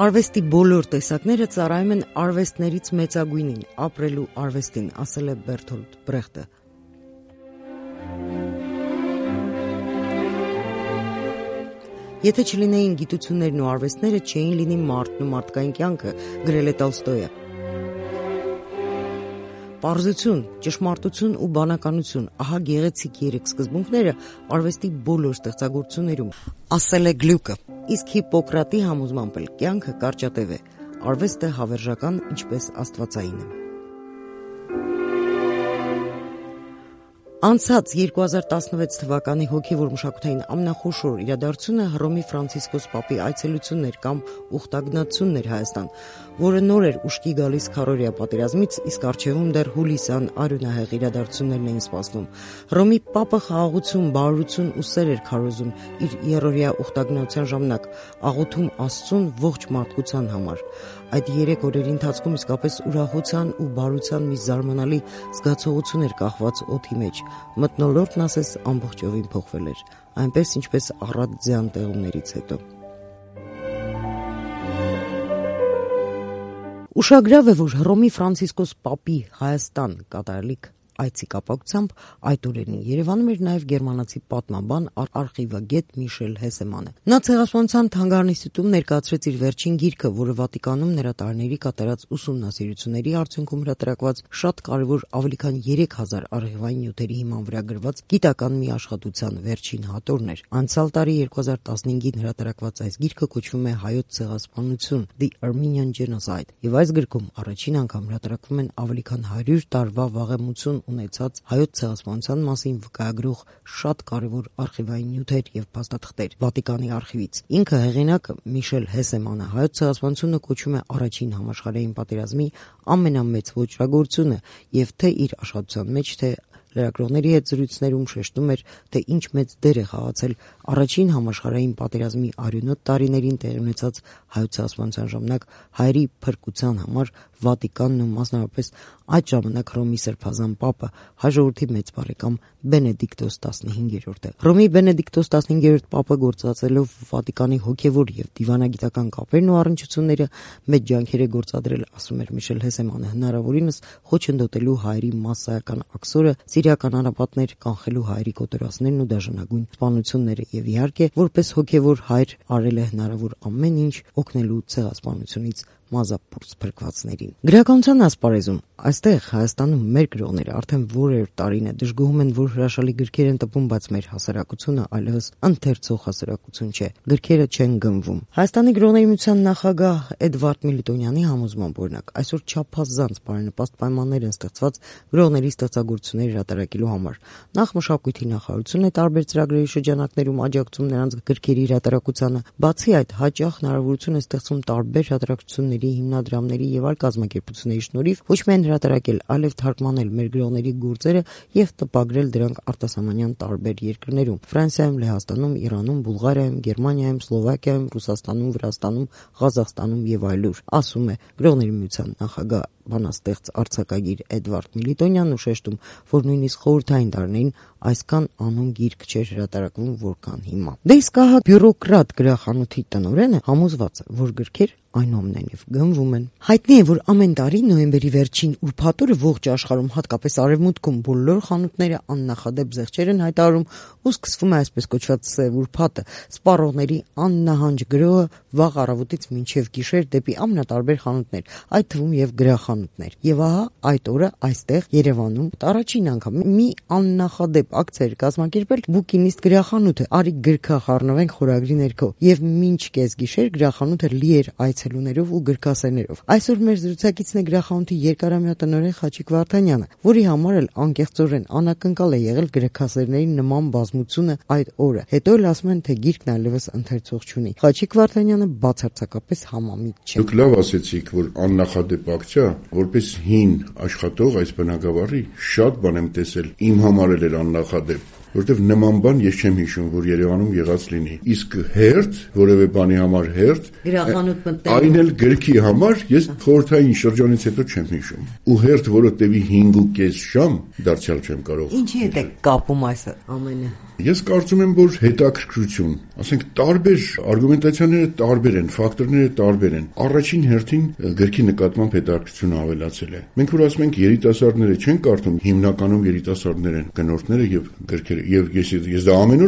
Արվեստի բոլոր տեսակները ծառայում են արվեստներից մեծագույնին, ապրելու արվեստին, ասել է Բերթոլդ Բրեխտը։ Եթե չլինեին գիտություններն ու արվեստները, չէին լինի մարդն ու մարդկային կյանքը, գրել է Տոլստոյը։ Պարզություն, ճշմարտություն ու բանականություն, ահա գեղեցիկ երեք սկզբունքները արվեստի բոլոր ստեղծագործություններում, ասել է Գլյուկը։ Իսկ Հիպոկրատի համոզմամբ էլ կյանքը կարճատև է, արվեստը հավերժական, ինչպես աստվածային է։ Անցած 2016 թվականի հոգևոր մշակութային ամենախոշոր իրադարձությունը Հռոմի Ֆրանցիսկոս Պապի այցելությունն էր կամ ուխտագնացությունն էր Հայաստան, որը նոր էր ուշքի գալիս քառօրյա պատերազմից, իսկ առջևում դեռ հուլիսյան արյունահեղ իրադարձություններն էին սպասվում։ Հռոմի Պապը խաղաղություն, բարօրություն ու սեր էր քարոզում իր երրորդյա ուխտագնացության ժամանակ, աղոթում Աստծուն ողջ մարդկության համար։ Այդ 3 օրերի ընթացքում իսկապես ուրախության ու բարության մի զարմանալի զգացողություն էր կախված օդի մեջ։ Մթնոլորտն ասես ամբողջովին փոխվել էր, այնպես ինչպես առատ ձյան տեղումներից հետո։ Ուշագրավ է, որ Հռոմի Ֆրանցիսկոս Պապի Հայաստան կատարելիք այցի կապակցությամբ այդ օրերին Երևանում էր նաև գերմանացի պատմաբան, արխիվագետ Միշել Հեսեմանը։ Նա ցեղասպանության թանգարան ինստիտուտում ներկայացրեց իր վերջին գիրքը, որը Վատիկանում նրա տարիների կատարած ուսումնասիրությունների արդյունքում հրատարակված շատ կարևոր ավելի քան 3000 արխիվային նյութերի հիման վրա գրված գիտական մի աշխատության վերջին հատորն էր։ Անցյալ տարի 2015-ին հրատարակված այս գիրքը կոչվում է Հայոց ցեղասպանություն The Armenian Genocide, եւ այս գրքում առաջին անգամ հրատարակվում են ավելի քան 100 տարվա վաղեմություն ունեցած հայոց ցեղասպանության մասին վկայագրող շատ կարևոր արխիվային նյութեր եւ փաստաթղթեր Վատիկանի արխիվից։ Ինքը հեղինակը Միշել Հեսեմանը հայոց ցեղասպանությունը կոչում է առաջին համաշխարհային պատերազմի ամենամեծ ոճրագործությունը եւ թե իր աշխատության մեջ, թե լրագրողների հետ զրույցներում շեշտում էր, թե ինչ մեծ դեր է խաղացել առաջին համաշխարհային պատերազմի արյունոտ տարիներին տեղի ունեցած հայոց ցեղասպանության ժամանակ հայերի փրկության համար Վատիկանն ու մասնավորապես այդ ժամանակ Հռոմի Սրբազան Պապը, հայ ժողովրդի մեծ բարեկամ Բենեդիկտոս 15-րդը։ Հռոմի Բենեդիկտոս 15-րդ Պապը գործածելով Վատիկանի հոգևոր եւ դիվանագիտական կապերն ու առնչությունները մեծ ջանքեր է գործադրել, ասում էր Միշել Հեսեմանը, հնարավորինս խոչընդոտելու հայերի մասսայական աքսորը, սիրիական անապատներ, կանխելու հայերի կոտորածներն ու դաժանագույն սպանությունները եւ իհարկե որպես հոգևոր հայր արել է հնարավոր ամեն ինչ օգնելու ցեղասպանությունից մազապուրց փրկվածներին։ Գրականության ասպարեզում այստեղ Հայաստանում մեր գրողները արդեն որեր տարին է դժգոհում են, որ հրաշալի գրքեր են տպում, բայց մեր հասարակությունը այլևս ընթերցող հասարակություն չէ։ Գրքերը չեն գնվում։ Հայաստանի գրողների միության նախագահ Էդվարդ Միլիտոնյանի համոզմամբ օրինակ այսօր չափազանց բարենպաստ պայմաններ են ստեղծված գրողների ստեղծագործություններ հրատարակելու համար։ Նախ մշակույթի նախարարությունը տարբեր ծրագրերի շրջանակներում աջակցում նրանց գրքերի հրատարակությանը, բացի այդ հաճախ հնարավորություն է ստեղծում տարբեր հրատարակությունների, հիմնադրամների եւ այլ կազմակերպությունների շնորհիվ ոչ միայն հրատարակել, այլև թարգմանել մեր գրողների գործերը եւ տպագրել դրանք արտասահմանյան տարբեր երկրներում՝ Ֆրանսիայում, Լեհաստանում, Իրանում, Բուլղարիայում, Գերմանիայում, Սլովակիայում, Ռուսաստանում, Վրաստանում, Ղազախստանում եւ այլուր, ասում է գրողների միության նախագահ բանաստեղծ արձակագիր Էդվարդ Միլիտոնյանն ու շեշտում, որ նույնիսկ խորհրդային տարիներին այսքան անուն գիրք չէր հրատարակվում, որքան հիմա։ Դե իսկ ահա բյուրոկրատ գրախանութի տնօրենը համոզված է, որ գրքեր այնուամենայնիվ գնվում են։ Հայտնի է, որ ամեն տարի նոյեմբերի վերջին ուրբաթօրը ողջ աշխարհում, հատկապես արևմուտքում, բոլոր խանութները աննախադեպ զեղչեր են հայտարարում ու սկսվում է այսպես կոչված սև ուրբաթը, սպառողների աննահանջ գրոհը վաղ առավոտից մինչև գիշեր դեպի ամենատարբեր խանութներ, այդ թվում եւ գրախանութներ։ Եվ ահա այդ օրը այստեղ Երևանում առաջին անգամ մի աննախադեպ ակցիա էր կազմակերպել Բուկինիստ գրախանութը, արի գրքա խառնվենք խորագրի ներքո, եւ մինչ կեսգիշեր գրախանութը լի էր այցելուներով ու գրքասերներով։ Այսօր մեր զրուցակիցն է գրախանութի երկարամյա տնօրեն Խաչիկ Վարդանյանը, որի համար էլ անկեղծորեն անակնկալ է եղել գրքասերների նման բազմությունը այդ օրը։ Հետո էլ ասում են, թե գիրքն այլևս ընթերցող չունի։ Խաչիկ Վարդանյանը բացարձակապես համամիտ չէ։ Դուք լավ ասեցիք, որ աննախադեպ ակցիա, որպես հին աշխատող այս բնակավարի շատ բան եմ տեսել, իմ համար էլ էր աննախադեպ, որտեվ նման բան ես չեմ հիշում, որ Երևանում եղած լինի։ Իսկ հերթ, որևէ բանի համար հերթ, գրախանութ մտնել, այն էլ գրքի համար ես խորհրդային շրջանից հետո չեմ հիշում։ Ու հերթ, որը տևի 5.5 ժամ, դարձյալ չեմ կարող։ Ինչի հետ է կապում այս ամենը։ Ես կարծում եմ, որ հետաքրքրություն, ասենք տարբեր արգումենտացիաները տարբեր են, ֆակտորները տարբեր են։ Առաջին հերթին գրքի նկատմամբ հետաքրքրությունը ավելացել է։ Մենք որ ասում ենք երիտասարդները չեն կարդում, հիմնականում երիտասարդներ են գնորդները եւ գրքերը, եւ ես դա ամեն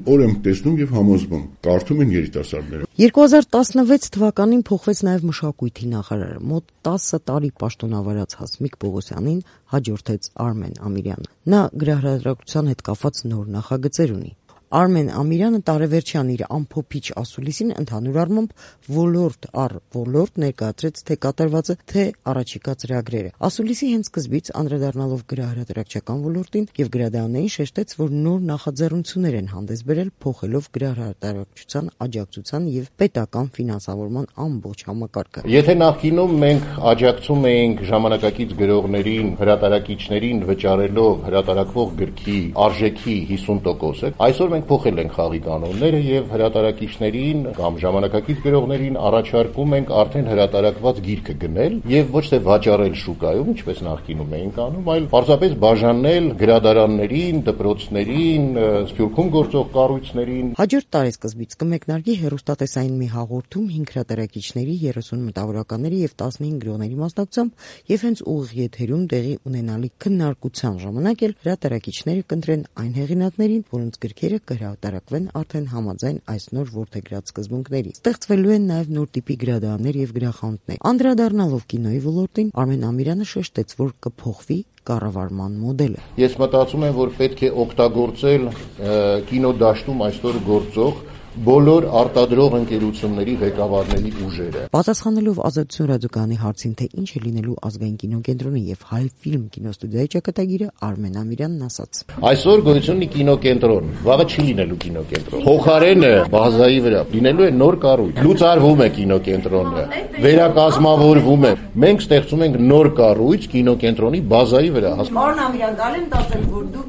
օր եմ տեսնում եւ համոզվում, կարդում են երիտասարդները։ 2016 թվականին փոխվեց նաև մշակույթի նախարարը։ Մոտ 10 տարի պաշտոնավարած Հասմիկ Պողոսյանին հաջորդեց Արմեն Ամիրյանը։ Նա գրահրատարակության հետ կապված նոր նախագծեր ունի։ Արմեն Ամիրյանը տարեվերջյան իր ամփոփիչ ասուլիսին ընդհանուր առմամբ ոլորտ առ ոլորտ ներկայացրեց թե կատարվածը, թե առաջիկա ծրագրերը։ Ասուլիսի հենց սկզբից անդրադառնալով գրահրատարակչական ոլորտին եւ գրադարաններին շեշտեց, որ նոր նախաձեռնություններ են հանդես բերել, փոխելով գրահրատարակչության աջակցության եւ պետական ֆինանսավորման ամբողջ համակարգը։ Եթե նախկինում մենք աջակցում էինք ժամանակակից գրողներին, հրատարակիչներին վճարելով հրատարակվող գրքի արժեքի 50%, այսօր մենք փոխել ենք խաղի կանոնները եւ հրատարակիչներին կամ ժամանակակից գրողներին առաջարկում ենք արդեն հրատարակված գիրքը գնել եւ ոչ թե վաճառել շուկայում, ինչպես նախկինում էինք անում, այլ պարզապես բաժանել գրադարաններին, դպրոցներին, Սփյուռքում գործող կառույցներին։ Հաջորդ տարեսկզբից կմեկնարկի հեռուստատեսային մի հաղորդում 5 հրատարակիչների, 30 մտավորականների եւ 15 գրողների մասնակցությամբ եւ հենց ուղիղ եթերում տեղի ունենալիք քննարկության ժամանակ էլ հրատարակիչները կընտրեն այն հեղինակներին, որոնց գրքերը կհրատարակվեն արդեն համաձայն այս նոր որդեգրած սկզբունքների։ Ստեղծվելու են նաև նոր տիպի գրադարաններ եւ գրախանութներ։ Անդրադառնալով կինոյի ոլորտին, Արմեն Ամիրյանը շեշտեց, որ կփոխվի կառավարման մոդելը։ Ես մտածում եմ, որ պետք է օգտագործել կինոդաշտում այսօր գործող բոլոր արտադրող ընկերությունների ղեկավարների ուժերը։ Պատասխանելով Ազատություն ռադիոկայանի հարցին, թե ինչ է լինելու ազգային կինոկենտրոնի եւ Հայֆիլմ կինոստուդիայի ճակատագիրը, Արմեն Ամիրյանն ասաց. Այսօր գոյություն ունի կինոկենտրոն, վաղը չի լինելու կինոկենտրոն։ Փոխարենը բազայի վրա լինելու է նոր կառույց։ Լուծարվում է կինոկենտրոնը, վերակազմավորվում է։ Մենք ստեղծում ենք նոր կառույց կինոկենտրոնի բազայի վրա։ Պարոն Ամիրյան, գալեմ տասել, որ դուք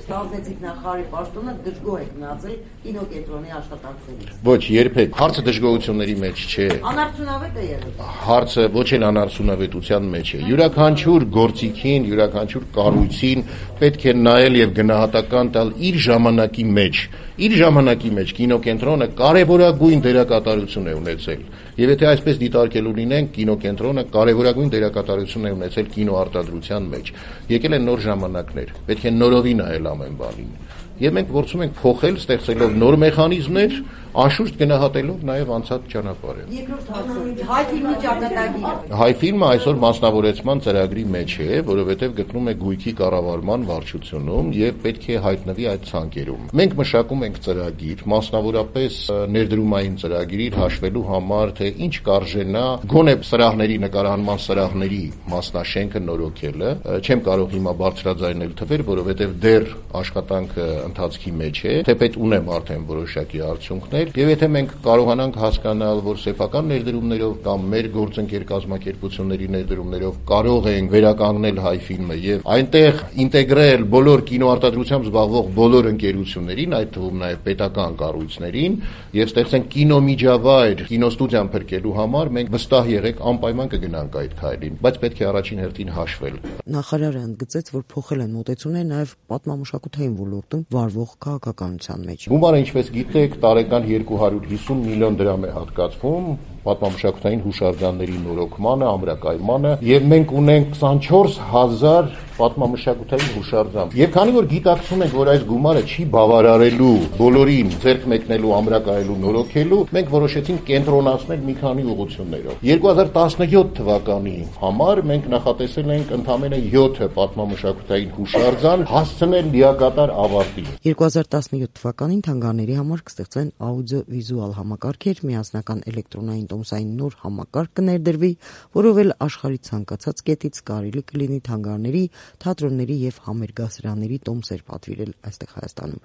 ստանձնեցիք նախարարի պաշտոնը, դժգոհ եք մնացել կինոկենտրոնի աշխատանքներից։ Ոչ, երբեք։ Հարցը դժգոհությունների մեջ չէ։ Անարդյունավետ է եղել։ Հարցը ոչ էլ անարդյունավետության մեջ է։ Յուրաքանչյուր գործիքին, յուրաքանչյուր կառույցին պետք է նայել եւ գնահատական տալ իր ժամանակի մեջ։ Իր ժամանակի մեջ կինոկենտրոնը կարևորագույն դերակատարություն է ունեցել։ Եվ եթե այսպես դիտարկելու լինենք, կինոկենտրոնը կարևորագույն դերակատարություն է ունեցել կինոարտադրության մեջ։ Եկել են նոր ժամանակներ։ Պետք է նորովի նայել ամեն բանին։ Եվ մենք փորձում ենք փոխել, ստեղծելով նոր մեխանիզմներ, անշուշտ գնահատելով նաև անցած ճանապարհը։ Երկրորդ հարցը՝ Հայֆիլմի ճակատագիրը։ Հայֆիլմը այսօր մասնավորեցման ծրագրի մեջ է, որովհետև գտնում է գույքի կառավարման վարչությունում եւ պետք է հայտնվի այդ ցանկերում։ Մենք մշակում ենք ծրագիր, մասնավորապես ներդրումային ծրագիր հաշվելու համար, թե ինչ կարժենա գոնե սրահների նկարահանման սրահների մասնաշենքը նորոգելը։ Չեմ կարող հիմա բարձրաձայնել թվեր, որովհետև դեռ աշխատանքը ընթացքի մեջ է, թեպետ ունեմ արդեն որոշակի արդյունքներ, եւ եթե մենք կարողանանք հասկանալ, որ սեփական ներդրումներով կամ մեր գործընկեր կազմակերպությունների ներդրումներով կարող ենք վերականգնել Հայֆիլմը եւ այնտեղ ինտեգրել բոլոր կինոարտադրությամբ զբաղվող բոլոր ընկերություններին, այդ թվում նաեւ պետական կառույցներին, եւ ստեղծենք կինոմիջավայր, կինոստուդիան փրկելու համար, մենք վստահ եղեք անպայման կգնանք այդ քայլին, բայց պետք է առաջին հերթին հաշվել։ Նախարարը ընդգծեց, որ փոխել են մոտեցումները նաեւ պատմամշակութային ոլորտում վարվող քաղաքականության մեջ։ Գումարը, ինչպես գիտեք, տարեկան 250 միլիոն դրամ է հատկացվում պատմամշակութային հուշարձանների նորոգմանը, ամրակայմանը, եւ մենք ունենք 24000 պատմամշակութային հուշարձան։ Եվ քանի որ գիտակցում ենք, որ այս գումարը չի բավարարելու բոլորին ձեռք մեկնելու, ամրակայելու, նորոգելու, մենք որոշեցինք կենտրոնացնել մի քանի ուղղություններով։ 2017 թվականի համար մենք նախատեսել ենք ընդամենը 7 պատմամշակութային հուշարձան հասցնել լիակատար ավարտի։ 2017 թվականին թանգարանների համար կստեղծվեն աուդիո-վիզուալ համակարգեր, միասնական էլեկտրոնային տոմսային նոր համակարգ կներդրվի, որով էլ աշխարհի ցանկացած կետից կարելի կլինի թանգարանների, թատրոնների եւ համերգասրանների տոմսեր պատվիրել այստեղ Հայաստանում։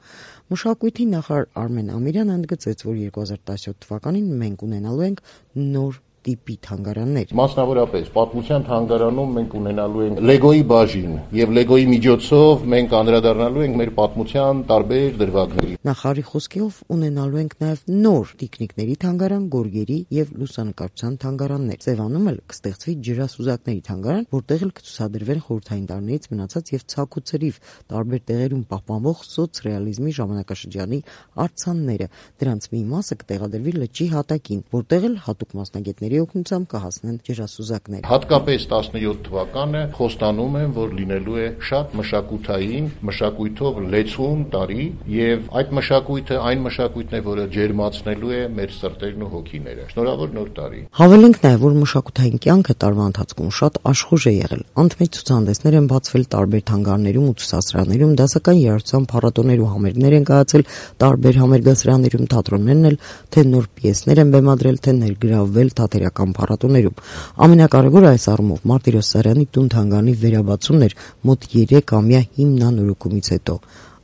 Մշակույթի նախարար Արմեն Ամիրյանը ընդգծեց, որ 2017 թվականին մենք ունենալու ենք նոր տիպի թանգարաններ։ Մասնավորապես պատմության թանգարանում մենք ունենալու ենք Լեգոյի բաժին եւ Լեգոյի միջոցով մենք անդրադառնալու ենք մեր պատմության տարբեր դրվագների։ Նախարարի խոսքով ունենալու ենք նաեւ նոր տիկնիկների թանգարան, գորգերի եւ լուսանկարչության թանգարաններ։ Սևանում էլ կստեղծվի ջրասուզակների թանգարան, որտեղ էլ կցուցադրվեն խորհրդային տարիներից մնացած եւ ցակուցրիվ տարբեր տեղերում պահպանվող սոցռեալիզմի ժամանակաշրջանի արձանները։ Դրանց մի մասը կտեղադրվի լճի հատակին, որտեղ էլ հատուկ մասնագետների օգնությամբ կհասնեն ջրասուզակներ։ Հատկապես 17 թվականը խոստանում եմ, որ լինելու է շատ մշակութային, մշակույթով լեցուն տարի եւ այդ մշակույթը այն մշակույթն է, որը ջերմացնելու է մեր սրտերն ու հոգիները։ Շնորհավոր նոր տարի։ Հավելենք նաեւ, որ մշակութային կյանքը տարվա ընթացքում շատ աշխուժ է եղել։ Անթմեջ ցուցահանդեսներ են բացվել տարբեր թանգարաններում ու ցուցասրահներում, դասական երաժշտության փառատոներ ու համերգներ են կայացել տարբեր համերգասրահներում, թատրոններն էլ թե նոր պիեսներ են բեմադրել, թե ներգրավվել թատերական փառատոներում։ Ամենակարևորը այս առումով Մարտիրոս Սարյանի տուն թանգարանի վերաբացումն էր մոտ 3-ամյա հիմնանորոգումից հետո։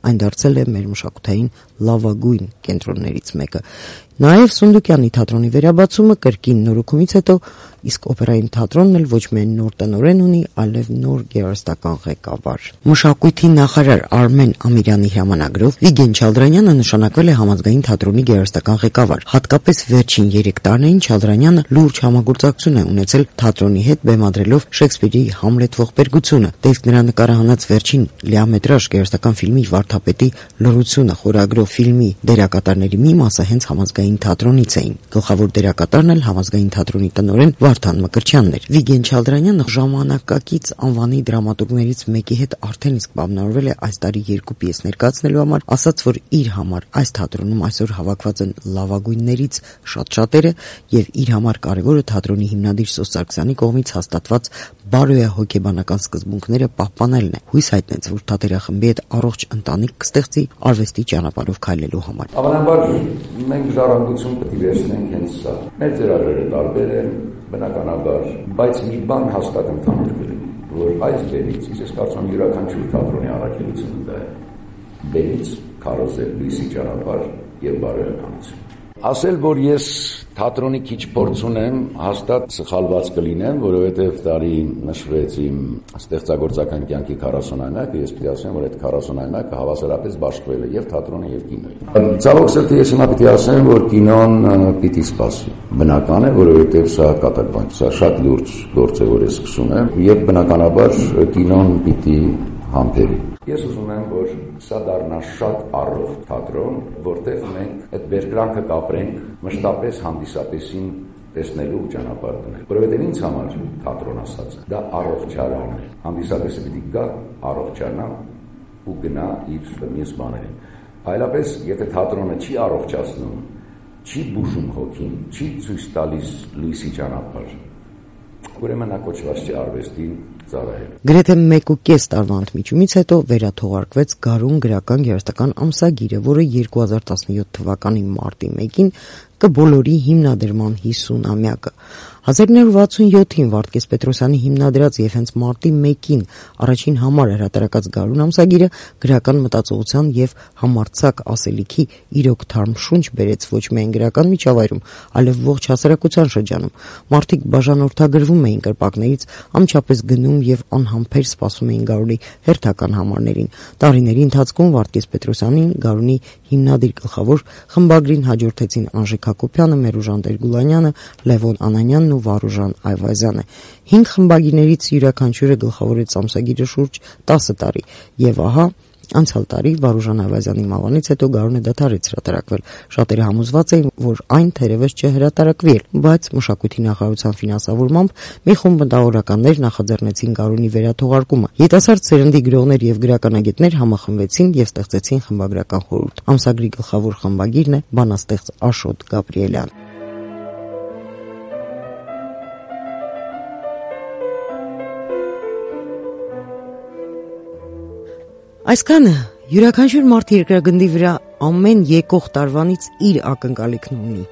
Այն դարձել է մեր մշակութային լավագույն կենտրոններից մեկը։ Նաև Սունդուկյանի թատրոնի վերաբացումը կրկին նորոգումից հետո, իսկ օպերային թատրոնն էլ ոչ միայն նոր տնօրեն ունի, այլև նոր գեղարվեստական ղեկավար։ Մշակույթի նախարար Արմեն Ամիրյանի հրամանագրով Վիգեն Չալդրանյանը նշանակվել է համազգային թատրոնի գեղարվեստական ղեկավար։ Հատկապես վերջին 3 տարիներին Չալդրանյանը լուրջ համագործակցություն է ունեցել թատրոնի հետ, բեմադրելով Շեքսպիրի Համլետ ողբերգությունը։ Դե իսկ նրա նկարահանած վերջին լիամետրաժ գեղարվեստական ֆիլմի Վարդապետի լռությունը խորագրով ֆիլմի դերակատարների մի մասը հենց համազգային թատրոնից էին։ Գլխավոր դերակատարն էլ համազգային թատրոնի տնօրեն Վարդան Մկրտչյանն էր։ Վիգեն Չալդրանյանը ժամանակակից անվանի դրամատուրգներից մեկի հետ արդեն իսկ բավնորվել է այս տարի 2 պիես ներկայացնելու համար, ասաց, որ իր համար այս թատրոնում այսօր հավաքված են լավագույններից շատերը եւ իր համար կարևորը թատրոնի հիմնադիր Սոս Սարգսյանի կողմից հաստատված բարոյահոգեբանական սկզբունքները պահպանելն է։ Հույս հայտնեց, որ թատերախմբի հետ առողջ ընտանիք կստեղծի արվեստի ճանապարհով քայլելու համար։ Հավանաբար մենք ժառանգություն պետք է վերցնենք հենց սա։ Մեր ծրագրերը տարբեր են, բնականաբար, բայց մի բան հաստատ ընդհանուր կլինի, որ այս բերից, ես կարծում եմ յուրաքանչյուր թատրոնի առաքելությունը դա է, բերից քարոզել լույսի ճանապարհ եւ բարոյականություն։ Ասել, որ ես թատրոնի քիչ փորձ ունեմ, հաստատ սխալված կլինեմ, որովհետև տարի նշվեց իմ ստեղծագործական կյանքի 40-ամյակը, ես պիտի ասեմ, որ այդ 40-ամյակը հավասարապես բաշխվել է եւ թատրոնի եւ կինոյի։ Ցավոք սրտի ես հիմա պիտի ասեմ, որ կինոն պիտի սպասի։ Բնական է, որովհետև սա կատարբան, սա շատ լուրջ գործ է, որ ես սկսում եմ, եւ բնականաբար կինոն պիտի համբերի։ Ես ուզում եմ, որ սա դառնա շատ առողջ թատրոն, որտեղ մենք այդ բերկրանքը կապրենք մշտապես հանդիսատեսին տեսնելու ճանապարհ դնել։ Որովհետև ինձ համար թատրոն ասածը դա առողջարանն է։ Հանդիսատեսը պիտի գա, առողջանա ու գնա իր մյուս բաներին։ Այլապես, եթե թատրոնը չի առողջացնում, չի բուժում հոգին, չի ցույց տալիս լույսի ճանապարհ, ուրեմն նա կոչված չի արվեստին ծառայել։ Գրեթե 1.5 տարվա ընդմիջումից հետո վերաթողարկվեց Գարուն գրական գեղարվեստական ամսագիրը, որը 2017 թվականի մարտի 1-ին կբոլորի հիմնադրման 50-ամյակը։ 1967-ին Վարդգես Պետրոսյանի հիմնադրած եւ հենց մարտի 1-ին առաջին համար հրատարակած Գարուն ամսագիրը գրական մտածողության եւ համարձակ ասելիքի իրոք թարմ շունչ բերեց ոչ միայն գրական միջավայրում, այլև ողջ հասարակության շրջանում։ Մարդիկ բաժանորդագրվում էին կրպակներից, անմիջապես գնում եւ անհամբեր սպասում էին Գարունի հերթական համարներին։ Տարիների ընթացքում Վարդգես Պետրոսյանին Գարունի հիմնադիր գլխավոր խմբագրին հաջորդեցին Անժե Հակոբյանը, Մերուժան Տեր-Գուլանյանը, Լևոն Անանյանն ու Վարուժան Այվազյանը։ 5 խմբագիրներից յուրաքանչյուրը գլխավորեց ամսագիրը շուրջ 10 տարի եւ ահա անցյալ տարի Վարուժան Այվազյանի մահվանից հետո Գարունը դադարեց հրատարակվել։ Շատերը համոզված էին, որ այն թերևս չհրատարակվի էլ, բայց մշակույթի նախարարության ֆինանսավորմամբ մի խումբ մտավորականներ նախաձեռնեցին Գարունի վերաթողարկումը։ Յետասարդ սերնդի գրողներ եւ գրականագետներ համախմբվեցին եւ ստեղծեցին խմբագրական խորհուրդ։ Ամսագրի գլխավոր խմբագիրն է բանաստեղծ Աշոտ Գաբրիելյան։ Այսքանը յուրաքանչյուր մարդ երկրագնդի վրա ամեն եկող տարվանից իր ակնկալիքն ունի,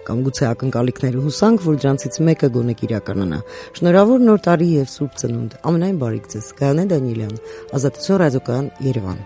կամ գուցե ակնկալիքները հուսանք, որ դրանցից մեկը գոնե կիրականանա։ Շնորհավոր նոր տարի եւ Սուրբ Ծնունդ։ Ամենայն բարիք ձեզ։ Գայանե Դանիելյան, Ազատություն ռադիոկայան, Երևան։